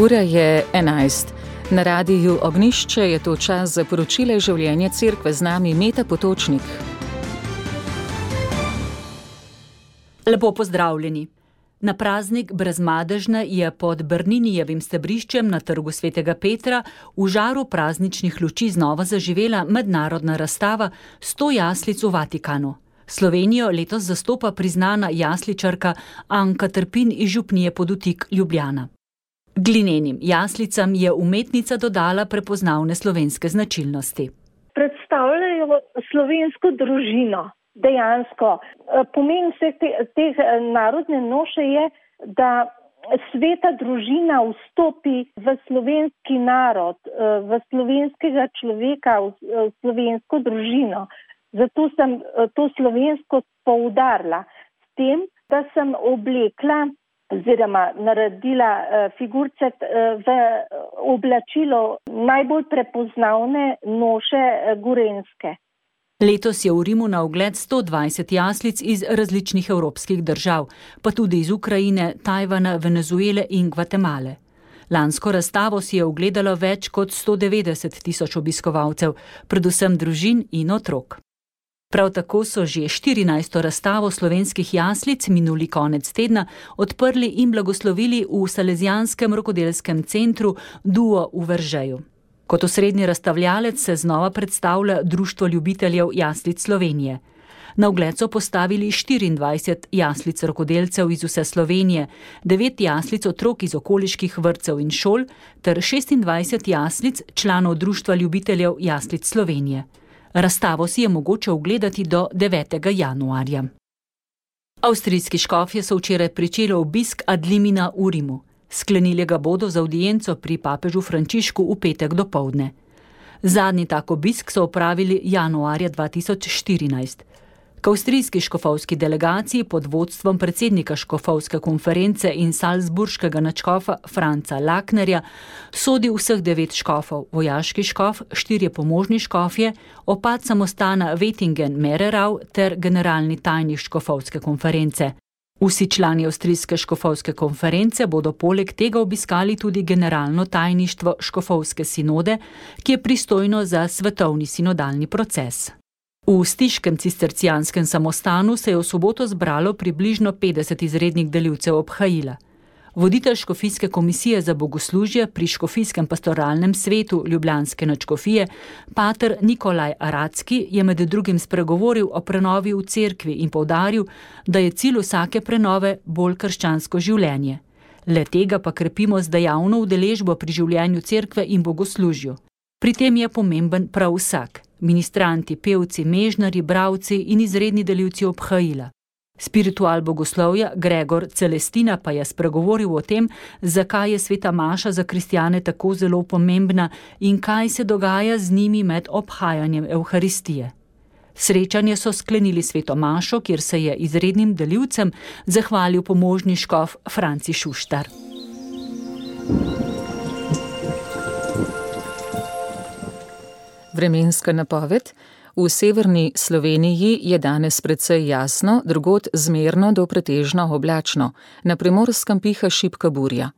Ura je 11. Na radiju Ognjišče je to čas za poročile življenja cerkve, z nami Meta Potočnik. Lepo pozdravljeni. Na praznik Brezmadežne je pod Brninijevim stebriščem na trgu Svetega Petra v žaru prazničnih luči znova zaživela mednarodna razstava 100 jaslic v Vatikanu. Slovenijo letos zastopa priznana jasličarka Anka Trpin iz župnije Podutik, Ljubljana. Glinenim jaslicam je umetnica dodala prepoznavne slovenske značilnosti. Predstavljajo slovensko družino. Dejansko. Pomen vseh teh narodne noše je, da sveta družina vstopi v slovenski narod, v slovenskega človeka, v slovensko družino. Zato sem to slovensko poudarila s tem, da sem oblekla oziroma naredila figurce v oblačilo najbolj prepoznavne noše gorenjske. Letos je v Rimu na ogled 120 jaslic iz različnih evropskih držav, pa tudi iz Ukrajine, Tajvana, Venezuele in Gvatemale. Lansko razstavo si je ogledalo več kot 190 tisoč obiskovalcev, predvsem družin in otrok. Prav tako so že 14. razstavo slovenskih jaslic minuli konec tedna odprli in blagoslovili v Salezijanskem rokodelskem centru Duo v Veržeju. Kot osrednji razstavljalec se znova predstavlja Društvo ljubiteljev jaslic Slovenije. Na ogled so postavili 24 jaslic rokodelcev iz vse Slovenije, 9 jaslic otrok iz okoliških vrtcev in šol ter 26 jaslic članov Društva ljubiteljev jaslic Slovenije. Razstavo si je mogoče ogledati do 9. januarja. Avstrijski škofje so včeraj pričeli obisk ad limina v Rimu. Sklenili ga bodo z avdienco pri papežu Frančišku v petek dopoldne. Zadnji tak obisk so opravili januarja 2014. K avstrijski škofovski delegaciji pod vodstvom predsednika škofovske konference in salzburškega nadškofa Franca Laknerja sodi vseh 9 škofov, vojaški škof, 4 pomožni škofje, opat samostana Wettingen-Mererau ter generalni tajnik škofovske konference. Vsi člani avstrijske škofovske konference bodo poleg tega obiskali tudi generalno tajništvo škofovske sinode, ki je pristojno za svetovni sinodalni proces. V stiškem cistercijanskem samostanu se je v soboto zbralo približno 50 izrednih delivcev obhajila. Voditelj škofijske komisije za bogoslužje pri škofijskem pastoralnem svetu Ljubljanske nadškofije, pater Nikolaj Aracki, je med drugim spregovoril o prenovi v cerkvi in poudaril, da je cilj vsake prenove bolj krščansko življenje. Le tega pa krepimo z dejavno udeležbo pri življenju cerkve in bogoslužju. Pri tem je pomemben prav vsak, ministranti, pevci, mežnari, bralci in izredni delivci obhajila. Spiritual bogoslovja Gregor Celestina pa je spregovoril o tem, zakaj je sveta maša za kristjane tako zelo pomembna in kaj se dogaja z njimi med obhajanjem Evharistije. Srečanje so sklenili sveto mašo, kjer se je izrednim delivcem zahvalil pomožni škof Franci Šuštar. Vremenska napoved. V severni Sloveniji je danes precej jasno, drugod zmerno do pretežno oblačno. Na Primorskem piha šibka burja.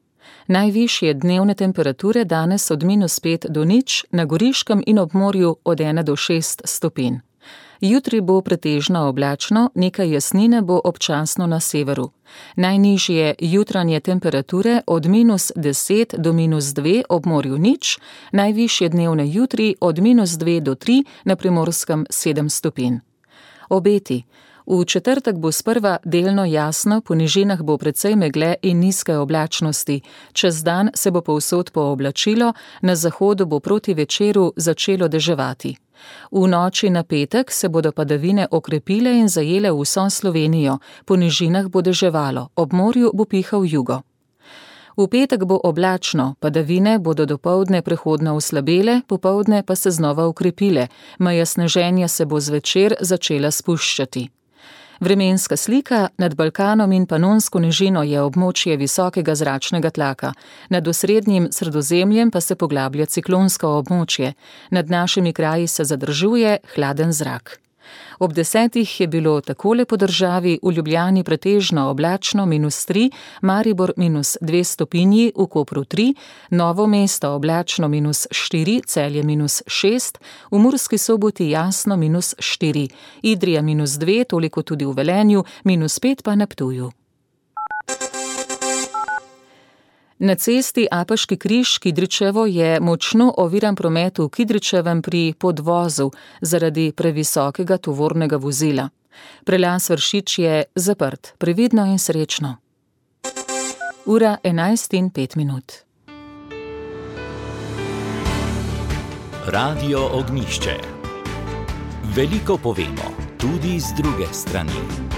Najvišje dnevne temperature danes od -5 do 0, na Goriškem in ob morju od 1 do 6 stopinj. Jutri bo pretežno oblačno, nekaj jasnine bo občasno na severu. Najnižje jutranje temperature od -10 do -2, ob morju 0, najvišje dnevne jutri od -2 do 3, na Primorskem 7 stopinj. Obeti. V četrtek bo sprva delno jasno, po nižinah bo precej megle in nizke oblačnosti. Čez dan se bo povsod pooblačilo, na zahodu bo proti večeru začelo deževati. V noči na petek se bodo padavine okrepile in zajele vso Slovenijo, po nižinah bo deževalo, ob morju bo pihal jugo. V petek bo oblačno, padavine bodo dopoldne prehodno oslabele, popoldne pa se znova okrepile, meja sneženja se bo zvečer začela spuščati. Vremenska slika. Nad Balkanom in Panonsko nižino je območje visokega zračnega tlaka, nad osrednjim Sredozemljem pa se poglablja ciklonsko območje, nad našimi kraji se zadržuje hladen zrak. Ob 10 je bilo takole po državi: v Ljubljani pretežno oblačno -3, Maribor -2 stopinji, v Kopru 3, Novo mesto oblačno -4, Celje -6, v Murski Soboti jasno -4, Idrija -2, toliko tudi v Velenju, -5 pa na Ptuju. Na cesti Apaški križ Kidričevo je močno oviran promet v Kidričevem pri podvozu zaradi previsokega tovornega vozila. Prelaz Vršič je zaprt. Previdno in srečno. Ura 11:05. Radio Ognjišče. Veliko povemo, tudi z druge strani.